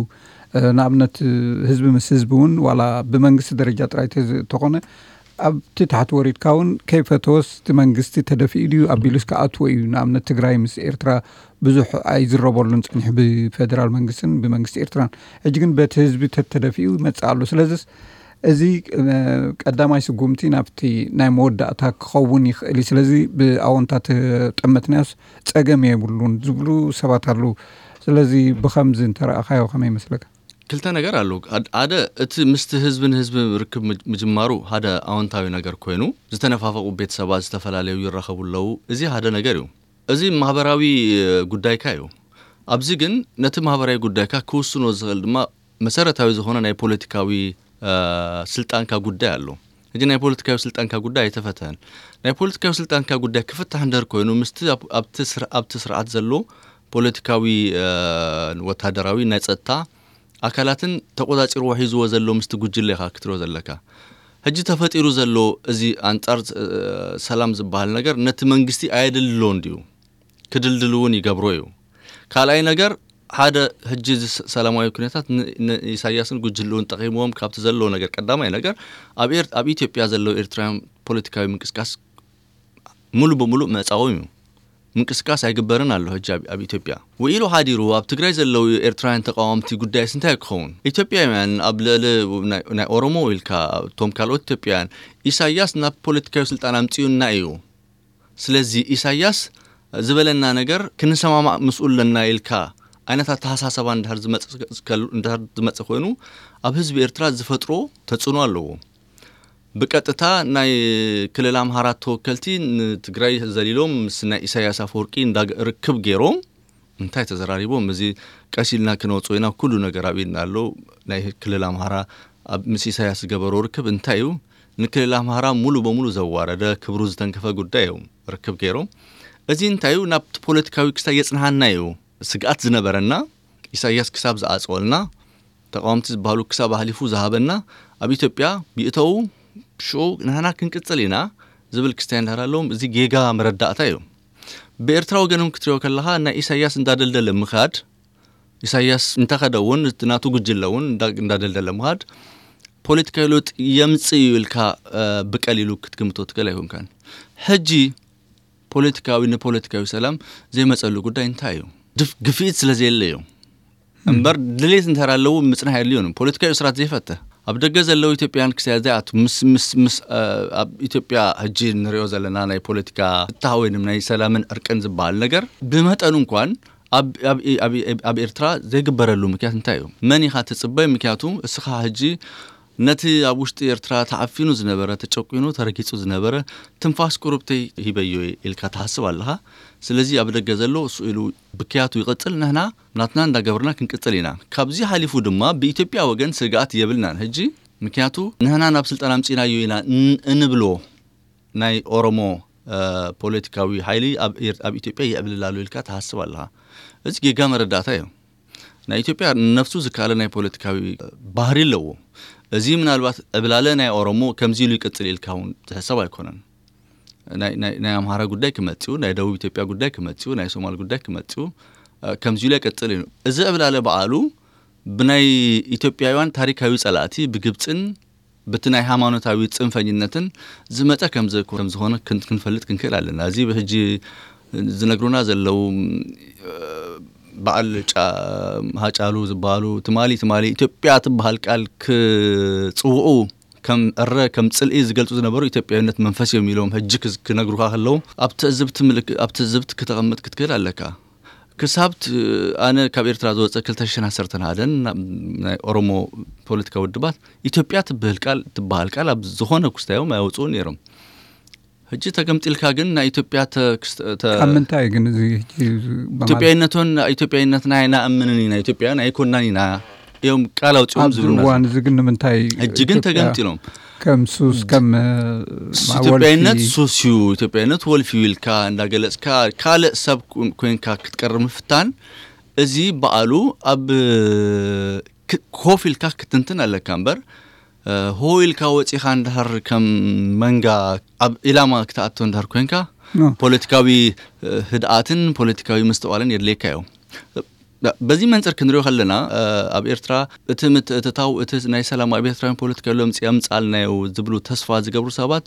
ንኣብነት ህዝቢ ምስ ህዝቢ እውን ዋላ ብመንግስቲ ደረጃ ጥራይ ተኾነ ኣብቲ ታሕቲ ወሪድካ እውን ከይፈተወስ እቲ መንግስቲ ተደፊኡ ድዩ ኣቢሉስ ክኣትዎ እዩ። ንኣብነት ትግራይ ምስ ኤርትራ ብዙሕ ኣይዝረበሉን ጸኒሑ ብፌደራል መንግስትን ብመንግስቲ ኤርትራን። ሕጂ ግን በቲ ህዝቢ ተተደፊኡ ይመጽእ ኣሎ። ስለዚስ እዚ ቀዳማይ ስጉምቲ ናብቲ ናይ መወዳእታ ክኸውን ይኽእል እዩ። ስለዚ ብኣወንታ ተጠመትናዮስ ጸገም የብሉን ዝብሉ ሰባት ኣለዉ። ስለዚ ብኸምዚ እንተረኣኻዮ ከመይ ይመስለካ? ክልተ ነገር ኣለዉ። ሓደ እቲ ምስቲ ህዝቢ ንህዝቢ ርክብ ምጅማሩ ሓደ ኣወንታዊ ነገር ኮይኑ፣ ዝተነፋፈቑ ቤተሰባት ዝተፈላለዩ ይራኸቡ ኣለዉ። እዚ ሓደ ነገር እዩ። እዚ ማህበራዊ ጉዳይካ እዩ። ኣብዚ ግን ነቲ ማህበራዊ ጉዳይካ ክውስኖ ዝኽእል ድማ መሰረታዊ ዝኾነ ናይ ፖለቲካዊ ስልጣንካ ጉዳይ ኣሎ። ሕጂ ናይ ፖለቲካዊ ስልጣንካ ጉዳይ ኣይተፈተን። ናይ ፖለቲካዊ ስልጣንካ ጉዳይ ክፍታሕ እንደር ኮይኑ ምስቲ ኣብቲ ስርዓት ዘሎ ፖለቲካዊ ወታደራዊ ናይ ጸጥታ ኣካላትን ተቆጻጺርዎ ሒዝዎ ዘሎ ምስቲ ጉጅለ ኢኻ ክትሪኦ ዘለካ። ሕጂ ተፈጢሩ ዘሎ እዚ ኣንጻር ሰላም ዝበሃል ነገር ነቲ መንግስቲ ኣየድልሎን ድዩ? ክድልድል እውን ይገብሮ እዩ። ካልኣይ ነገር ሓደ ሕጂ እዚ ሰላማዊ ኩነታት ንኢሳያስን ጉጅልኡን ጠቒምዎም ካብቲ ዘለዎ ነገር ቀዳማይ ነገር ኣብ ኢትዮጵያ ዘለዉ ኤርትራውያን ፖለቲካዊ ምንቅስቃስ ሙሉ ብሙሉ መጻወም እዩ። ምንቅስቃስ ኣይግበርን ኣሎ። ሕጂ ኣብ ኢትዮጵያ ውዒሉ ሓዲሩ ኣብ ትግራይ ዘለዉ ኤርትራውያን ተቃወምቲ ጉዳይስ እንታይ ክኸውን? ኢትዮጵያውያን ኣብ ልዕሊ ናይ ኦሮሞ ኢልካ እቶም ካልኦት ኢትዮጵያውያን ኢሳያስ ናብ ፖለቲካዊ ስልጣን ኣምጽኡና እዩ። ስለዚ ኢሳያስ ዝበለና ነገር ክንሰማማዕ ምስኡ ኣለና ኢልካ ዓይነት ኣተሓሳሰባ እንድሕር ዝመጽእ ኮይኑ ኣብ ህዝቢ ኤርትራ ዝፈጥሮ ተጽዕኖ ኣለዎ። ብቀጥታ ናይ ክልል ኣምሃራ ተወከልቲ ንትግራይ ዘሊሎም ምስ ናይ ኢሳያስ ኣፈወርቂ ርክብ ገይሮም እንታይ ተዘራሪቦም? እዚ ቀስ ኢልና ክነውፅኦ ኢና። ኩሉ ነገር ኣብ ኢድና ኣሎ። ናይ ክልል ኣምሃራ ምስ ኢሳያስ ዝገበሮ ርክብ እንታይ እዩ? ንክልል ኣምሃራ ሙሉ በሙሉ ዘዋረደ ክብሩ ዝተንከፈ ጉዳይ እዮም ርክብ ገይሮም። እዚ እንታይ እዩ? ናብቲ ፖለቲካዊ ክስታይ የፅንሃና እዩ። ስግኣት ዝነበረና ኢሳያስ ክሳብ ዝኣፅወልና፣ ተቃወምቲ ዝበሃሉ ክሳብ ኣህሊፉ ዝሃበና፣ ኣብ ኢትዮጵያ ብእተው ሽዑ ንሕና ክንቅፅል ኢና ዝብል ክስታይ እንዳሃለዎም፣ እዚ ጌጋ መረዳእታ እዩ። ብኤርትራ ወገን እውን ክትሪኦ ከለኻ ናይ ኢሳያስ እንዳደልደለ ምኻድ፣ ኢሳያስ እንተኸደ እውን እቲ ናቱ ጉጅለ እውን እንዳደልደለ ምኻድ ፖለቲካዊ ለውጢ የምፅእ እዩ ኢልካ ብቀሊሉ ክትግምቶ ትክእል ኣይኮንካን። ሕጂ ፖለቲካዊ ንፖለቲካዊ ሰላም ዘይመፀሉ ጉዳይ እንታይ እዩ? ግፍኢት ስለ ዘየለ እዩ እምበር ድሌት እንተር ኣለዉ ምፅናሕ የድልዮን። ፖለቲካዊ እስራት ዘይፈተ ኣብ ደገ ዘለዉ ኢትዮጵያን ክሳያ ዘይኣቱ ምስ ምስ ምስ ኣብ ኢትዮጵያ ሕጂ ንሪኦ ዘለና ናይ ፖለቲካ ፍታህ ወይንም ናይ ሰላምን ዕርቅን ዝበሃል ነገር ብመጠኑ እንኳን ኣብ ኤርትራ ዘይግበረሉ ምክንያት እንታይ እዩ? መን ኢኻ ትፅበይ? ምክንያቱ እስኻ ሕጂ ነቲ ኣብ ውሽጢ ኤርትራ ተዓፊኑ ዝነበረ፣ ተጨቂኑ፣ ተረጊጹ ዝነበረ ትንፋስ ቁሩብተይ ሂበዮ ኢልካ ትሓስብ ኣለኻ። ስለዚ ኣብ ደገ ዘሎ እሱ ኢሉ ብክያቱ ይቕጽል፣ ንሕና ናትና እንዳገበርና ክንቅጽል ኢና። ካብዚ ሓሊፉ ድማ ብኢትዮጵያ ወገን ስግኣት የብልናን። ሕጂ ምክንያቱ ንሕና ናብ ስልጣን ኣምጺናዮ ኢና ን-፣ እንብሎ ናይ ኦሮሞ፣ እ፣ ፖለቲካዊ ሓይሊ ኣብ ኤር-፣ ኣብ ኢትዮጵያ የዕብልል ኣሎ ኢልካ ትሓስብ ኣለኻ። እዚ ጌጋ መረዳእታ እዩ። ናይ ኢትዮጵያ ነፍሱ ዝካለ ናይ ፖለቲካዊ ባህሪ ኣለዎ። እዚ ምናልባት ዕብላለ ናይ ኦሮሞ ከምዚ ኢሉ ይቅጽል ኢልካ እውን ዝሕሰብ ኣይኮነን። ናይ፣ ናይ፣ ናይ ኣምሃራ ጉዳይ ክመጽኡ፣ ናይ ደቡብ ኢትዮጵያ ጉዳይ ክመጽኡ፣ ናይ ሶማል ጉዳይ ክመጽኡ፣ እ፣ ከምዚ ኢሉ ይቀጽል እዩ። እዚ ዕብላለ በዓሉ ብናይ ኢትዮጵያውያን ታሪካዊ ጸላእቲ፣ ብግብጽን በቲ ናይ ሃይማኖታዊ ጽንፈኝነትን ዝመጸ ከም ዘኮ-፣ ከም ዝኾነ ክን-፣ ክንፈልጥ ክንክእል ኣለና። እዚ ብሕጂ ዝነግሩና ዘለዉ፣ እ፣ በዓል ጫ-፣ ሃጫሉ ዝበሃሉ ትማሊ፣ ትማሊ ኢትዮጵያ ትበሃል ቃል ክጽውዑ ከም እረ፣ ከም ጽልኢ ዝገልጹ ዝነበሩ ኢትዮጵያዊነት መንፈስ እዮም ኢሎም ሕጂ ክዝ-፣ ክነግሩኻ ከለዉ ኣብ ትዕዝብቲ ምልክ-፣ ኣብ ትዕዝብቲ ክተቐምጥ ክትክእል ኣለካ። ክሳብ ት-፣ ኣነ ካብ ኤርትራ ዝወጸ ክልተ ሽሕን ዓሰርተን ሓደን ናብ ናይ ኦሮሞ ፖለቲካዊ ውድባት ኢትዮጵያ ትበሃል ቃል፣ ትበሃል ቃል ኣብ ዝኾነ ክስታዮም ኣየውጽኡን ነይሮም። ሕጂ ተገምጢልካ ግን ናይ ኢትዮጵያ ተ-፣ ክስተ-፣ ተ-፣ ካብ ምንታይ ግን እዚ ሕጂ ብማለት ኢትዮጵያዊነቶን ኢትዮጵያዊነትና ኣይናኣምንን ኢና፣ ኢትዮጵያውያን ኣይኮናን ኢና እዮም ቃል ኣውጺኦም ኣብዚ ዝብሉና እዋን ዘለዉ። እዚ ግን ንምንታይ ሕጂ ግን ኢትዮጵያ ተገምጢሎም። ከም ሱስ፣ ከም፣ እ፣ ስ-፣ ማ-፣ ኢትዮጵያዊነት ወልፊ ሱስ እዩ፣ ኢትዮጵያዊነት ወልፊ እዩ ኢልካ እንዳገለጽካ ካልእ ሰብ ኮ-፣ ኮንካ ክትቀርብ ምፍታን፣ እዚ በዓሉ ኣብ ክ-፣ ኮፍ ኢልካ ክትንትን ኣለካ እምበር፣ እ፣ ሆ ኢልካ ወጺኻ እንድሕር ከም መንጋ ኣብ ኢላማ ክትኣቶ እንድሕር ኮንካ፣ ኖ። ፖለቲካዊ፣ እ፣ ህድኣትን ፖለቲካዊ ምስትውዓልን የድልየካ እዩ። በዚ መንጽር ክንሪኦ ከለና፣ እ፣ ኣብ ኤርትራ እቲ ምትእትታው፣ እቲ ናይ ሰላም ኣብ ኤርትራውያን ፖለቲካዊ ለምጺ የምጽኣልናዮ ዝብሉ ተስፋ ዝገብሩ ሰባት፣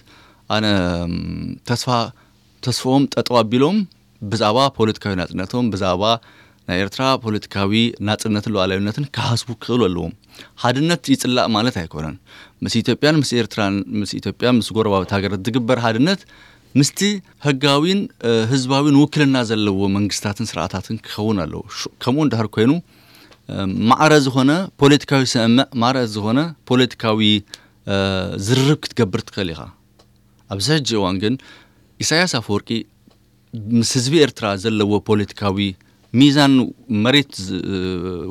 ኣነ፣ እም፣ ተስፋ፣ ተስፍኦም ጠጠው ኣቢሎም ብዛዕባ ፖለቲካዊ ናጽነቶም፣ ብዛዕባ ናይ ኤርትራ ፖለቲካዊ ናጽነትን ሉዓላዊነትን ክሓስቡ ክኽእሉ ኣለዎም። ሓድነት ይጽላእ ማለት ኣይኮነን። ምስ ኢትዮጵያን ምስ ኤርትራን፣ ምስ ኢትዮጵያ፣ ምስ ጎረባብቲ ሃገራት ዝግበር ሓድነት ምስቲ ህጋዊን፣ እ፣ ህዝባዊን ውክልና ዘለዎ መንግስታትን ስርዓታትን ክኸውን ኣለዎ። ሹ-፣ ከምኡ እንድሕር ኮይኑ፣ እ፣ ማዕረ ዝኾነ ፖለቲካዊ ስምምዕ፣ ማዕረ ዝኾነ ፖለቲካዊ፣ እ፣ ዝርርብ ክትገብር ትኽእል ኢኻ። ኣብዚ ሕጂ እዋን ግን ኢሳያስ ኣፈወርቂ ምስ ህዝቢ ኤርትራ ዘለዎ ፖለቲካዊ ሚዛን መሬት ዝ-፣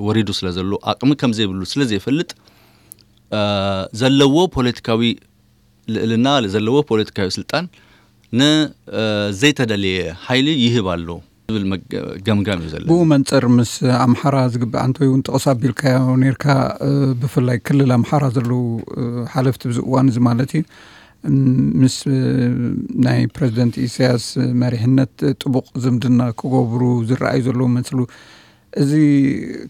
ወሪዱ ስለ ዘሎ፣ ኣቕሚ ከም ዘይብሉ ስለ ዘይፈልጥ፣ እ፣ ዘለዎ ፖለቲካዊ ልዕልና፣ ዘለዎ ፖለቲካዊ ስልጣን ን-፣ እ፣ ዘይተደለየ ሓይሊ ይህብ ኣሎ ዝብል መገ-፣ ገምጋም እዩ ዘለዎ። ብኡ መንጽር ምስ ኣምሓራ ዝግባእ፣ ኣንተ እውን ጥቕስ ኣቢልካዮ ነርካ፣ እ፣ ብፍላይ ክልል ኣምሓራ ዘለዉ፣ እ፣ ሓለፍቲ ብዚ እዋን እዚ ማለት እዩ፣ ም-፣ ምስ፣ እ፣ ናይ ፕረዚደንት ኢሳያስ መሪሕነት ጥቡቕ ዝምድና ክገብሩ ዝረኣዩ ዘለዉ መስሉ። እዚ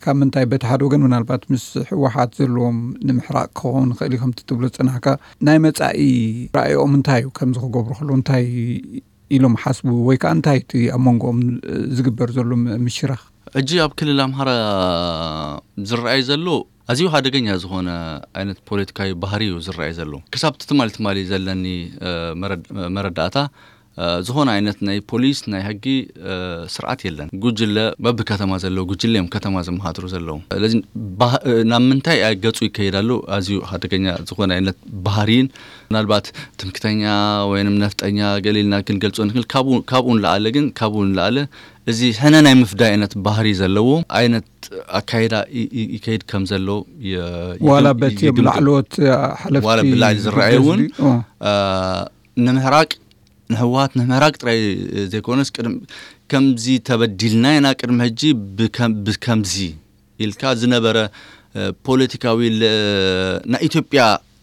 ካብ ምንታይ፣ በቲ ሓደ ወገን ምናልባት ምስ ህወሓት ዘለዎም ንምሕራቕ ክኸውን ይኽእል እዩ ከምቲ ትብሎ ዝጸናሕካ፣ ናይ መጻኢ ራእይኦም እንታይ እዩ? ከምዚ ክገብሩ ከለዉ እንታይ ኢሎም ሓስቡ ወይ ከኣ እንታይ እቲ ኣብ መንጎኦም ዝግበር ዘሎ ም-፣ ምሽራኽ? ሕጂ ኣብ ክልል ኣምሓራ ዝረኣይ ዘሎ ኣዝዩ ሓደገኛ ዝኾነ ዓይነት ፖለቲካዊ ባህሪ እዩ ዝረኣይ ዘሎ። ክሳብ ትማሊ ትማሊ ዘለኒ፣ እ፣ መረድ-፣ መረዳእታ፣ እ፣ ዝኾነ ዓይነት ናይ ፖሊስ፣ ናይ ሕጊ፣ እ፣ ስርዓት የለን። ጉጅለ፣ በብከተማ ዘለዉ ጉጅለ እዮም ከተማ ዘመሓድሩ ዘለዉ። ስለዚ ባህ-፣ እ፣ ናብ ምንታይ ገጹ ይከይድ ኣሎ? ኣዝዩ ሓደገኛ ዝኾነ ዓይነት ባህሪን ምናልባት ትምክተኛ ወይንም ነፍጠኛ ገለ ኢልና ክንገልጾ ንክእል። ካብኡ፣ ካብኡ ንላዕሊ ግን፣ ካብኡ ንላዕሊ እዚ ሕነ ናይ ምፍዳይ ዓይነት ባህሪ ዘለዎ ዓይነት ኣካይዳ ይ-፣ ይ-፣ ይከይድ ከም ዘሎ የ-፣ ዋላ ይግም-፣ በቲ እዮም ይግምግም። ላዕለዎት ሓለፍቲ ዋላ ብላዕሊ ዝረኣዩ እውን፣ ህዝቢ፣ ኦ። አ፣ ንምሕራቅ፣ ንህወሓት ንምህራቅ ጥራይ ዘይኮነስ፣ ቅድም-፣ ከምዚ ተበዲልና ኢና፣ ቅድሚ ሕጂ ብከም-፣ ብከምዚ ኢልካ ዝነበረ፣ እ፣ ፖለቲካዊ ል-፣ ናይ ኢትዮጵያ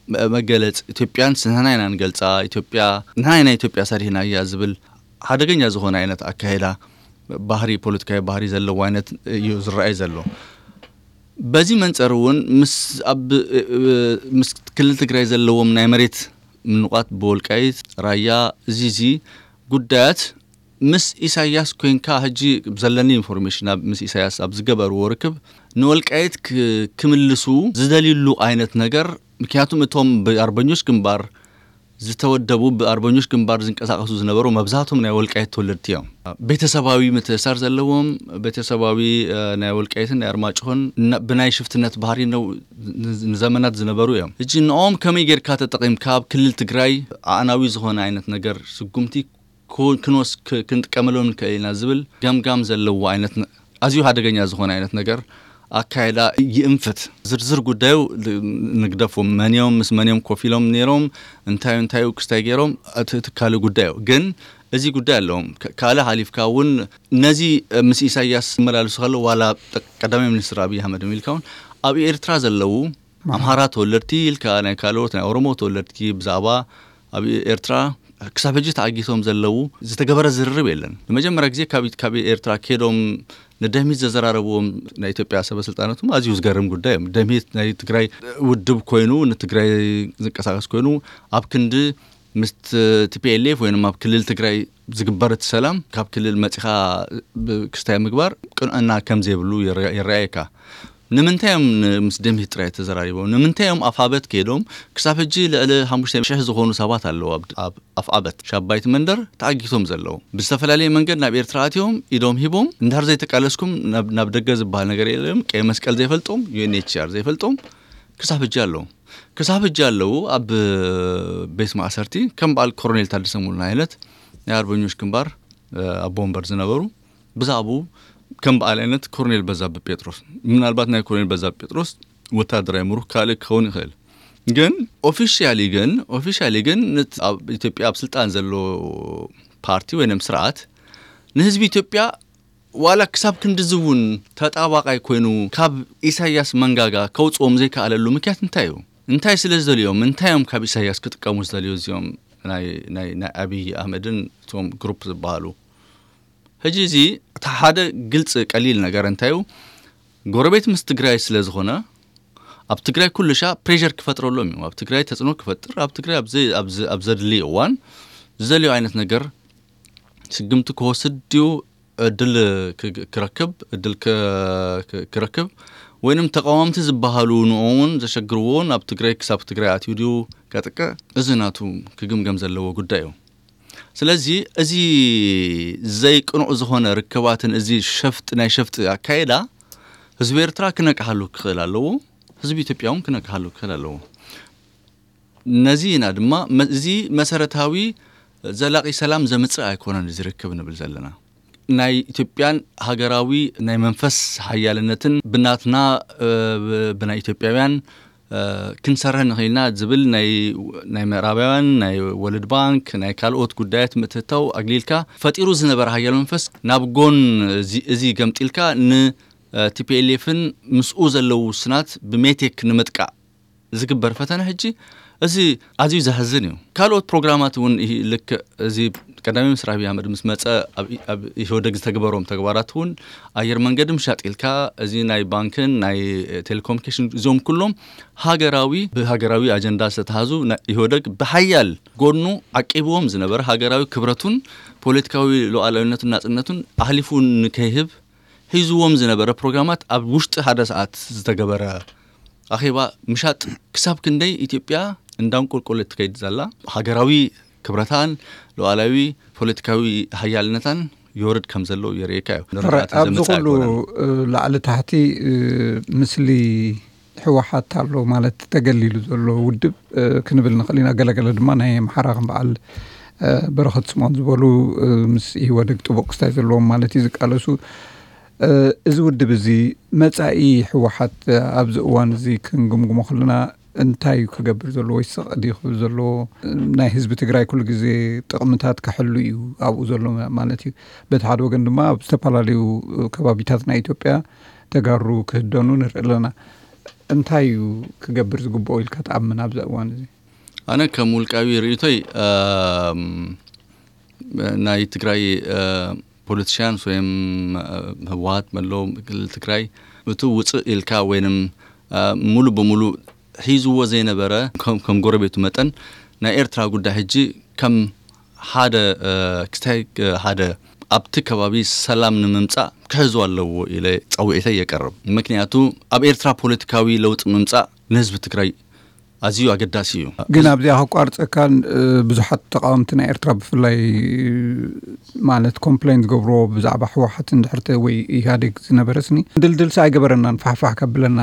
መ-፣ መገለጽ፣ ኢትዮጵያን ንሕና ኢና ንገልጻ፣ ኢትዮጵያ፣ ንሕና ኢና ኢትዮጵያ ሰሪሕና እያ ዝብል ሓደገኛ ዝኾነ ዓይነት ኣካይዳ፣ ባህሪ፣ ፖለቲካዊ ባህሪ ዘለዎ ዓይነት እዩ ዝረኣይ ዘሎ። በዚ መንጸር እውን ምስ፣ ኣብ፣ እ፣ እ፣ ምስ ክልል ትግራይ ዘለዎም ናይ መሬት ምንቋት ብወልቃይት፣ ራያ፣ እዚ፣ እዚ ጉዳያት ምስ ኢሳያስ ኮይንካ፣ ሕጂ ዘለኒ ኢንፎርሜሽን፣ ኣብ፣ ምስ ኢሳያስ ኣብ ዝገበርዎ ርክብ፣ ንወልቃይት ክ-፣ ክምልሱ ዝደልዩሉ ዓይነት ነገር፣ ምክንያቱም እቶም ብኣርበኞች ግንባር ዝተወደቡ ብኣርበኞች ግንባር ዝንቀሳቐሱ ዝነበሩ መብዛሕቶም ናይ ወልቃይት ተወለድቲ እዮም። ቤተሰባዊ ምትእሳር ዘለዎም፣ ቤተሰባዊ ናይ ወልቃይትን ናይ ኣርማጭሆን ብናይ ሽፍትነት ባህሪ ነው ንዘመናት ዝነበሩ እዮም። እጂ ንኦም ከመይ ጌርካ ተጠቒምካ ኣብ ክልል ትግራይ ኣዕናዊ ዝኾነ ዓይነት ነገር ስጉምቲ ክንወስ ክንጥቀመሎም ንክእል ኢና ዝብል ገምጋም ዘለዎ ዓይነት ኣዝዩ ሓደገኛ ዝኾነ ዓይነት ነገር ኣካይዳ ይእንፍት። ዝርዝር ጉዳዩ ንግደፎም፣ መን እዮም፣ ምስ መን እዮም ኮፍ ኢሎም ነይሮም፣ እንታይ እንታይ ክስታይ ገይሮም፣ እቲ ካልእ ጉዳዩ ግን እዚ ጉዳይ ኣለዎም። ካልእ ሓሊፍካ እውን ነዚ ምስ ኢሳያስ መላልሱ ከሎ ዋላ ቀዳማይ ሚኒስትር ኣብይ ኣሕመድ ኢልካ እውን ኣብ ኤርትራ ዘለዉ ኣምሃራ ተወለድቲ ኢልካ ናይ ካልኦት ናይ ኦሮሞ ተወለድቲ ብዛዕባ ኣብ ኤርትራ ክሳብ ሕጂ ተዓጊቶም ዘለዉ ዝተገበረ ዝርርብ የለን። ንመጀመርያ ግዜ ካብ ኤርትራ ከይዶም ንደምሂት ዘዘራረብዎም ናይ ኢትዮጵያ ሰበ ስልጣናት ኣዝዩ ዝገርም ጉዳይ እዮም። ደምሂት ናይ ትግራይ ውድብ ኮይኑ ንትግራይ ዝንቀሳቀስ ኮይኑ ኣብ ክንዲ ምስ ቲ ፒ ኤል ኤፍ ወይም ኣብ ክልል ትግራይ ዝግበር እቲ ሰላም ካብ ክልል መፂኻ ክስታይ ምግባር ቅንዕና ከም ዘይብሉ ይረኣየካ። ንምንታይ እዮም ምስ ደምሂት ጥራይ ተዘራሪቦም? ንምንታይ እዮም ኣፍዓበት ከይዶም? ክሳብ ሕጂ ልዕሊ ሓሙሽተ ሽሕ ዝኾኑ ሰባት ኣለዉ ኣብ ኣፍዓበት ሻባይቲ መንደር ተዓጊቶም ዘለዉ። ብዝተፈላለየ መንገድ ናብ ኤርትራ ኣትዮም ኢዶም ሂቦም እንድሕር ዘይተቃለስኩም ናብ ደገ ዝበሃል ነገር የለም። ቀይ መስቀል ዘይፈልጦም፣ ዩ ኤን ኤች ሲ ኣር ዘይፈልጦም ክሳብ ሕጂ ኣለዉ። ክሳብ ሕጂ ኣለዉ ኣብ ቤት ማእሰርቲ ከም በዓል ኮሮኔል ታደሰ ሙሉነህ ዓይነት ናይ ኣርበኞች ግንባር ኣቦ ወንበር ዝነበሩ ብዛዕባኡ ከም በዓል ዓይነት ኮሮኔል በዛብህ ጴጥሮስ፣ ምናልባት ናይ ኮሮኔል በዛብህ ጴጥሮስ ወታደራዊ ምሩኽ ካልእ ክኸውን ይኽእል። ግን ኦፊሻሊ ግን ኦፊሻሊ ግን ኣብ ኢትዮጵያ ኣብ ስልጣን ዘሎ ፓርቲ ወይም ስርዓት ንህዝቢ ኢትዮጵያ ዋላ ክሳብ ክንድዚ እውን ተጣባቃይ ኮይኑ ካብ ኢሳያስ መንጋጋ ከውፅኦም ዘይከኣለሉ ምክንያት እንታይ እዩ? እንታይ ስለ ዝደልዮም? እንታይ እዮም ካብ ኢሳያስ ክጥቀሙ ዝደልዩ እዚኦም ናይ ኣብይ ኣህመድን እቶም ግሩፕ ዝበሃሉ? ሕጂ እዚ እቲ ሓደ ግልፂ ቀሊል ነገር እንታይ እዩ? ጎረቤት ምስ ትግራይ ስለ ዝኾነ ኣብ ትግራይ ኩሉ ሻ ፕሬር ክፈጥረሎም እዮም። ኣብ ትግራይ ተፅዕኖ ክፈጥር፣ ኣብ ትግራይ ኣብ ዘድልይ እዋን ዝደልዮ ዓይነት ነገር ስግምቲ ክወስድ ድዩ እድል ክረክብ እድል ክረክብ ወይንም ተቃወምቲ ዝበሃሉ ንኦም እውን ዘሸግርዎ ናብ ትግራይ ክሳብ ትግራይ ኣትዩ ድዩ ከጥቅዕ፣ እዚ ናቱ ክግምገም ዘለዎ ጉዳይ እዩ። ስለዚ እዚ ዘይቅኑዕ ዝኾነ ርክባትን እዚ ሸፍጥ ናይ ሸፍጥ ኣካየዳ ህዝቢ ኤርትራ ክነቅሓሉ ክኽእል ኣለዎ። ህዝቢ ኢትዮጵያ እውን ክነቅሓሉ ክኽእል ኣለዎ። ነዚ ኢና ድማ እዚ መሰረታዊ ዘላቂ ሰላም ዘምፅእ ኣይኮነን እዚ ርክብ ንብል ዘለና። ናይ ኢትዮጵያን ሃገራዊ ናይ መንፈስ ሓያልነትን ብናትና ብናይ ኢትዮጵያውያን ክንሰርሕ ንኽእልና ዝብል ናይ ምዕራባውያን ናይ ወርልድ ባንክ ናይ ካልኦት ጉዳያት ምትእታው ኣግሊልካ ፈጢሩ ዝነበረ ሓያል መንፈስ ናብ ጎን እዚ ገምጢልካ ን ቲ ፒ ኤል ኤፍን ምስኡ ዘለዉ ውስናት ብሜቴክ ንምጥቃዕ ዝግበር ፈተነ ሕጂ እዚ ኣዝዩ ዘሕዝን እዩ። ካልኦት ፕሮግራማት እውን ልክዕ እዚ ቀዳማይ ሚኒስትር ኣብይ ኣሕመድ ምስ መፀ ኣብ ኢህወደግ ዝተግበሮም ተግባራት እውን ኣየር መንገዲ ምሻጥ ኢልካ እዚ ናይ ባንክን ናይ ቴሌኮሙኒኬሽን እዚኦም ኩሎም ሃገራዊ ብሃገራዊ ኣጀንዳ ዝተተሃዙ ኢህወደግ ብሓያል ጎኑ ዓቂብዎም ዝነበረ ሃገራዊ ክብረቱን ፖለቲካዊ ሉዓላዊነቱን ናፅነቱን ኣሕሊፉ ንከይህብ ሒዝዎም ዝነበረ ፕሮግራማት ኣብ ውሽጢ ሓደ ሰዓት ዝተገበረ ኣኼባ ምሻጥ ክሳብ ክንደይ ኢትዮጵያ እንዳንቁልቁል ትከይድ ዘላ ሃገራዊ ክብረታን ሉዓላዊ ፖለቲካዊ ሓያልነታን ይወርድ ከም ዘሎ የርእየካ እዩ። ኣብዚ ኩሉ ላዕሊ ታሕቲ ምስሊ ህወሓት ኣሎ ማለት ተገሊሉ ዘሎ ውድብ ክንብል ንኽእል ኢና። ገለገለ ድማ ናይ ኣምሓራ ከም በዓል በረኸት ስምኦን ዝበሉ ምስ ኢህወደግ ጥቡቕ ክስታይ ዘለዎም ማለት እዩ ዝቃለሱ። እዚ ውድብ እዚ መፃኢ ህወሓት ኣብዚ እዋን እዚ ክንግምግሞ ከለና እንታይ እዩ ክገብር ዘለዎ ወይ ስቕ ድዩ ክብል ዘለዎ? ናይ ህዝቢ ትግራይ ኩሉ ግዜ ጥቕምታት ክሕሉ እዩ ኣብኡ ዘሎ ማለት እዩ። በቲ ሓደ ወገን ድማ ኣብ ዝተፈላለዩ ከባቢታት ናይ ኢትዮጵያ ተጋሩ ክህደኑ ንርኢ ኣለና። እንታይ እዩ ክገብር ዝግብኦ ኢልካ ትኣምን ኣብዚ እዋን እዚ? ኣነ ከም ውልቃዊ ርእይቶይ ናይ ትግራይ ፖለቲሽያንስ ወይም ህወሓት መለው ክልል ትግራይ እቲ ውፅእ ኢልካ ወይንም ሙሉ ብሙሉ ሒዝዎ ዘይነበረ ከም ጎረቤቱ መጠን ናይ ኤርትራ ጉዳይ ሕጂ ከም ሓደ ክስታይ ሓደ ኣብቲ ከባቢ ሰላም ንምምፃእ ክሕዝዎ ኣለዎ ኢለ ፀውዒተይ የቀርብ። ምክንያቱ ኣብ ኤርትራ ፖለቲካዊ ለውጢ ምምፃእ ንህዝቢ ትግራይ ኣዝዩ ኣገዳሲ እዩ። ግን ኣብዚኣ ከቋርፀካ፣ ብዙሓት ተቃወምቲ ናይ ኤርትራ ብፍላይ ማለት ኮምፕሌን ዝገብርዎ ብዛዕባ ህወሓት እንድሕርተ ወይ ኢህኣዴግ ዝነበረስኒ ድልድልሲ ኣይገበረናን፣ ፋሕፋሕ ከብለና።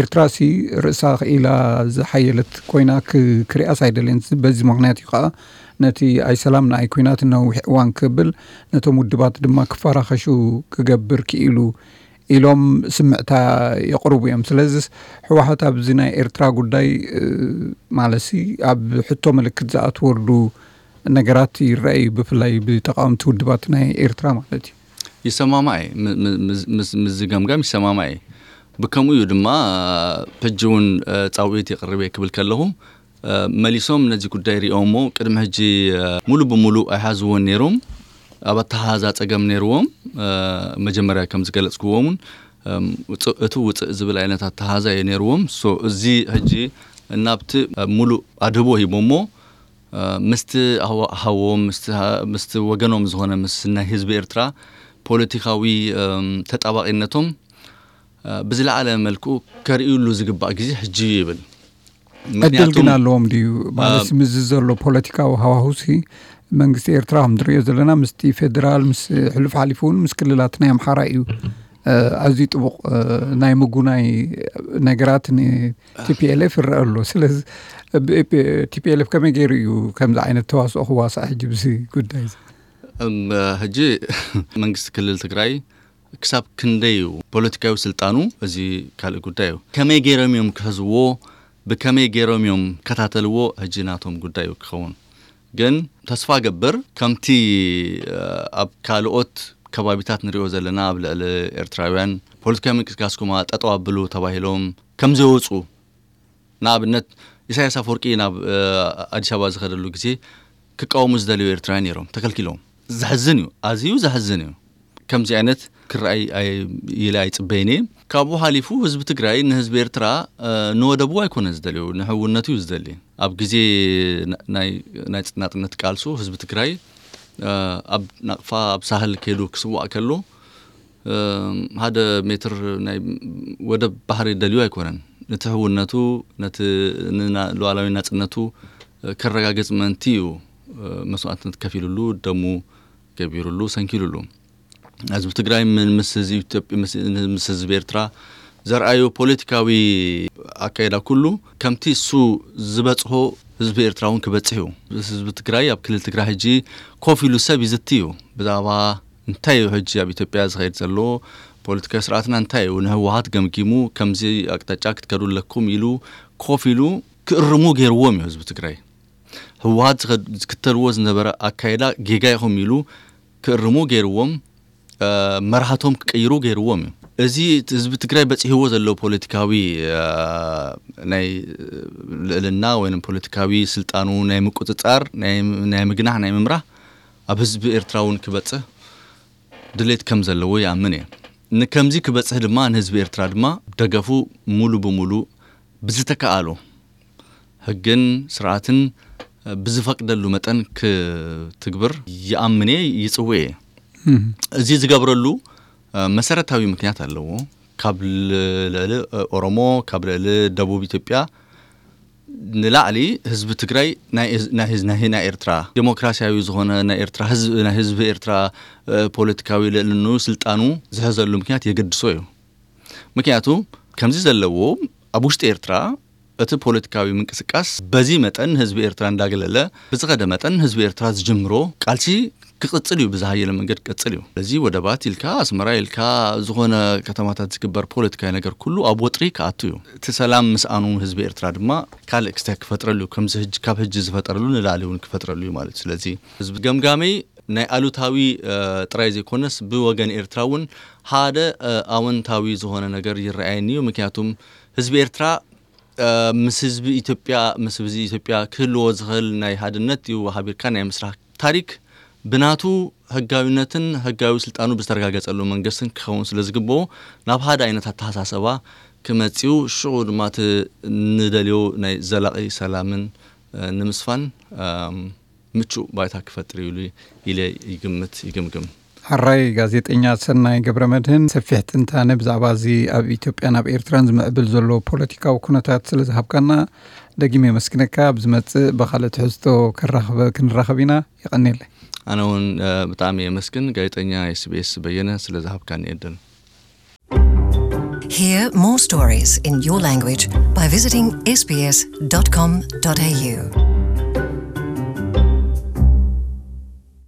ኤርትራ ሲ ርእሳ ክኢላ ዝሓየለት ኮይና ክሪኣስ ኣይደልየን። በዚ ምክንያት እዩ ከዓ ነቲ ኣይሰላም ንኣይ ኩናት ነዊሕ እዋን ክብል፣ ነቶም ውድባት ድማ ክፈራኸሹ ክገብር ክኢሉ ኢሎም ስምዕታ የቕርቡ እዮም። ስለዚስ ህወሓት ኣብዚ ናይ ኤርትራ ጉዳይ ማለትሲ ኣብ ሕቶ ምልክት ዝኣትወሉ ነገራት ይረኣዩ፣ ብፍላይ ብተቃወምቲ ውድባት ናይ ኤርትራ ማለት እዩ። ይሰማማዕ እየ። ምስዚ ገምጋም ይሰማማዕ እየ። ብከምኡ እዩ ድማ ሕጂ እውን ፃውዒት የቕርብ እየ ክብል ከለኹ፣ መሊሶም ነዚ ጉዳይ ሪኦሞ ቅድሚ ሕጂ ሙሉ ብሙሉ ኣይሓዝዎን ነይሮም። ኣብ ኣተሓዛ ፀገም ነይርዎም። መጀመርያ ከም ዝገለፅክዎም እውን እቲ ውፅእ ዝብል ዓይነት ኣተሓዛ እዩ ነይርዎም። እዚ ሕጂ እናብቲ ሙሉእ ኣድህቦ ሂቦሞ ምስቲ ሃዎም ምስቲ ወገኖም ዝኾነ ምስ ናይ ህዝቢ ኤርትራ ፖለቲካዊ ተጣባቂነቶም ብዝለዓለ መልክኡ ከርእዩሉ ዝግባእ ግዜ ሕጂ እዩ ይብል። ዕድል ግን ኣለዎም ድዩ ማለት? ምስ ዘሎ ፖለቲካዊ ሃዋሁሲ መንግስቲ ኤርትራ ከም ንሪኦ ዘለና ምስቲ ፌደራል ምስ ሕሉፍ ሓሊፉ እውን ምስ ክልላት ናይ ኣምሓራ እዩ ኣዝዩ ጥቡቕ ናይ ምጉናይ ነገራት ን ቲፒኤልኤፍ ይረአ ኣሎ። ስለዚ ቲፒኤልኤፍ ከመይ ገይሩ እዩ ከምዚ ዓይነት ተዋስኦ ክዋሳእ ሕጂ ብዚ ጉዳይ እዚ? ሕጂ መንግስቲ ክልል ትግራይ ክሳብ ክንደይ እዩ ፖለቲካዊ ስልጣኑ፣ እዚ ካልእ ጉዳይ እዩ። ከመይ ገይሮም እዮም ክሕዝዎ፣ ብከመይ ገይሮም እዮም ከታተልዎ፣ ሕጂ ናቶም ጉዳይ እዩ ክኸውን። ግን ተስፋ ገብር ከምቲ ኣብ ካልኦት ከባቢታት ንሪኦ ዘለና ኣብ ልዕሊ ኤርትራውያን ፖለቲካዊ ምንቅስቃስኩም ጠጠው ኣብሉ ተባሂሎም ከም ዘይወፁ፣ ንኣብነት ኢሳያስ ኣፈወርቂ ናብ ኣዲስ ኣበባ ዝኸደሉ ግዜ ክቃወሙ ዝደልዩ ኤርትራውያን ነይሮም፣ ተከልኪሎም። ዘሕዝን እዩ፣ ኣዝዩ ዘሕዝን እዩ። ከምዚ ዓይነት ክረኣይ ኢለ ኣይፅበይን እየ። ካብኡ ሓሊፉ ህዝቢ ትግራይ ንህዝቢ ኤርትራ ንወደቡ ኣይኮነ ዝደልዩ፣ ንሕውነቱ እዩ ዝደሊ። ኣብ ግዜ ናይ ናፅነት ቃልሱ ህዝቢ ትግራይ ኣብ ናቕፋ ኣብ ሳህል ከይዱ ክስዋእ ከሎ ሓደ ሜትር ናይ ወደብ ባሕሪ ደልዩ ኣይኮነን። ነቲ ሕውነቱ ነቲ ሉዓላዊ ናፅነቱ ከረጋግፅ ምእንቲ እዩ መስዋእትነት ከፊሉሉ፣ ደሙ ገቢሩሉ፣ ሰንኪሉሉ። ህዝቢ ትግራይ ምስ ህዝቢ ኤርትራ ዘርኣዩ ፖለቲካዊ ኣካይዳ ኩሉ ከምቲ እሱ ዝበፅሖ ህዝቢ ኤርትራ እውን ክበፅሕ እዩ። ህዝቢ ትግራይ ኣብ ክልል ትግራይ ሕጂ ኮፍ ኢሉ ሰብ ይዝቲ እዩ። ብዛዕባ እንታይ እዩ ሕጂ ኣብ ኢትዮጵያ ዝኸይድ ዘሎ ፖለቲካዊ ስርዓትና እንታይ እዩ፣ ንህወሓት ገምጊሙ ከምዚ ኣቅጣጫ ክትከዱ ኣለኩም ኢሉ ኮፍ ኢሉ ክእርሙ ገይርዎም እዩ ህዝቢ ትግራይ። ህወሓት ዝክተልዎ ዝነበረ ኣካይዳ ጌጋ ኢኹም ኢሉ ክእርሙ ገይርዎም፣ መርሃቶም ክቅይሩ ገይርዎም እዩ። እዚ ህዝቢ ትግራይ በፂሕዎ ዘሎ ፖለቲካዊ ናይ ልዕልና ወይ ፖለቲካዊ ስልጣኑ ናይ ምቁፅፃር ናይ ምግናሕ ናይ ምምራሕ ኣብ ህዝቢ ኤርትራ እውን ክበፅሕ ድሌት ከም ዘለዎ ይኣምን እየ። ንከምዚ ክበፅሕ ድማ ንህዝቢ ኤርትራ ድማ ደገፉ ሙሉ ብሙሉ ብዝተከኣሎ ህግን ስርዓትን ብዝፈቅደሉ መጠን ክትግብር ይኣምን እየ፣ ይፅውዕ እየ። እዚ ዝገብረሉ መሰረታዊ ምክንያት ኣለዎ። ካብ ልዕሊ ኦሮሞ፣ ካብ ልዕሊ ደቡብ ኢትዮጵያ ንላዕሊ ህዝቢ ትግራይ ናይ ኤርትራ ዴሞክራሲያዊ ዝኾነ ናይ ኤርትራ ህዝቢ፣ ናይ ህዝቢ ኤርትራ ፖለቲካዊ ልዕልንኡ ስልጣኑ ዝሕዘሉ ምክንያት የገድሶ እዩ። ምክንያቱ ከምዚ ዘለዎ ኣብ ውሽጢ ኤርትራ እቲ ፖለቲካዊ ምንቅስቃስ በዚ መጠን ህዝቢ ኤርትራ እንዳገለለ ብዝኸደ መጠን ህዝቢ ኤርትራ ዝጅምሮ ቃልሲ ክቕጽል እዩ፣ ብዝሃየለ መንገድ ክቕጽል እዩ። እዚ ወደባት ኢልካ ኣስመራ ኢልካ ዝኾነ ከተማታት ዝግበር ፖለቲካዊ ነገር ኩሉ ኣብ ወጥሪ ክኣቱ እዩ። እቲ ሰላም ምስኣኑ ህዝቢ ኤርትራ ድማ ካልእ ክስታይ ክፈጥረሉ እዩ። ከምዚ ሕጂ ካብ ሕጂ ዝፈጠረሉ ንላዕሊ እውን ክፈጥረሉ እዩ ማለት እዩ። ስለዚ ህዝቢ ገምጋመይ ናይ ኣሉታዊ ጥራይ ዘይኮነስ ብወገን ኤርትራ እውን ሓደ ኣወንታዊ ዝኾነ ነገር ይረኣየኒ እዩ። ምክንያቱም ህዝቢ ኤርትራ ምስ ህዝቢ ኢትዮጵያ ምስ ህዝቢ ኢትዮጵያ ክህልዎ ዝኽእል ናይ ሓድነት እዩ ሓቢርካ ናይ ምስራሕ ታሪክ ብናቱ ህጋዊነትን ህጋዊ ስልጣኑ ብዝተረጋገጸሉ መንግስትን ክኸውን ስለ ዝግብኦ ናብ ሓደ ዓይነት ኣተሓሳሰባ ክመጽኡ ሽዑ ድማ እቲ ንደልዮ ናይ ዘላቒ ሰላምን ንምስፋን ምቹእ ባይታ ክፈጥር እዩ ኢለ ይግምት ይግምግም። ሕራይ ጋዜጠኛ ሰናይ ገብረ መድህን፣ ሰፊሕ ትንታነ ብዛዕባ እዚ ኣብ ኢትዮጵያን ኣብ ኤርትራን ዝምዕብል ዘሎ ፖለቲካዊ ኩነታት ስለ ዝሃብካና ደጊም የመስግነካ። ኣብ ዝመጽእ ብኻልእ ትሕዝቶ ክራኸበ-፣ ክንራኸብ ኢና። የቐንየለይ። ኣነ እውን፣ እ፣ ብጣዕሚ የመስግን ጋዜጠኛ ኤስቢኤስ በየነ ስለ ዝሃብካኒ ዕድል። Hear more stories in your language by visiting sbs.com.au.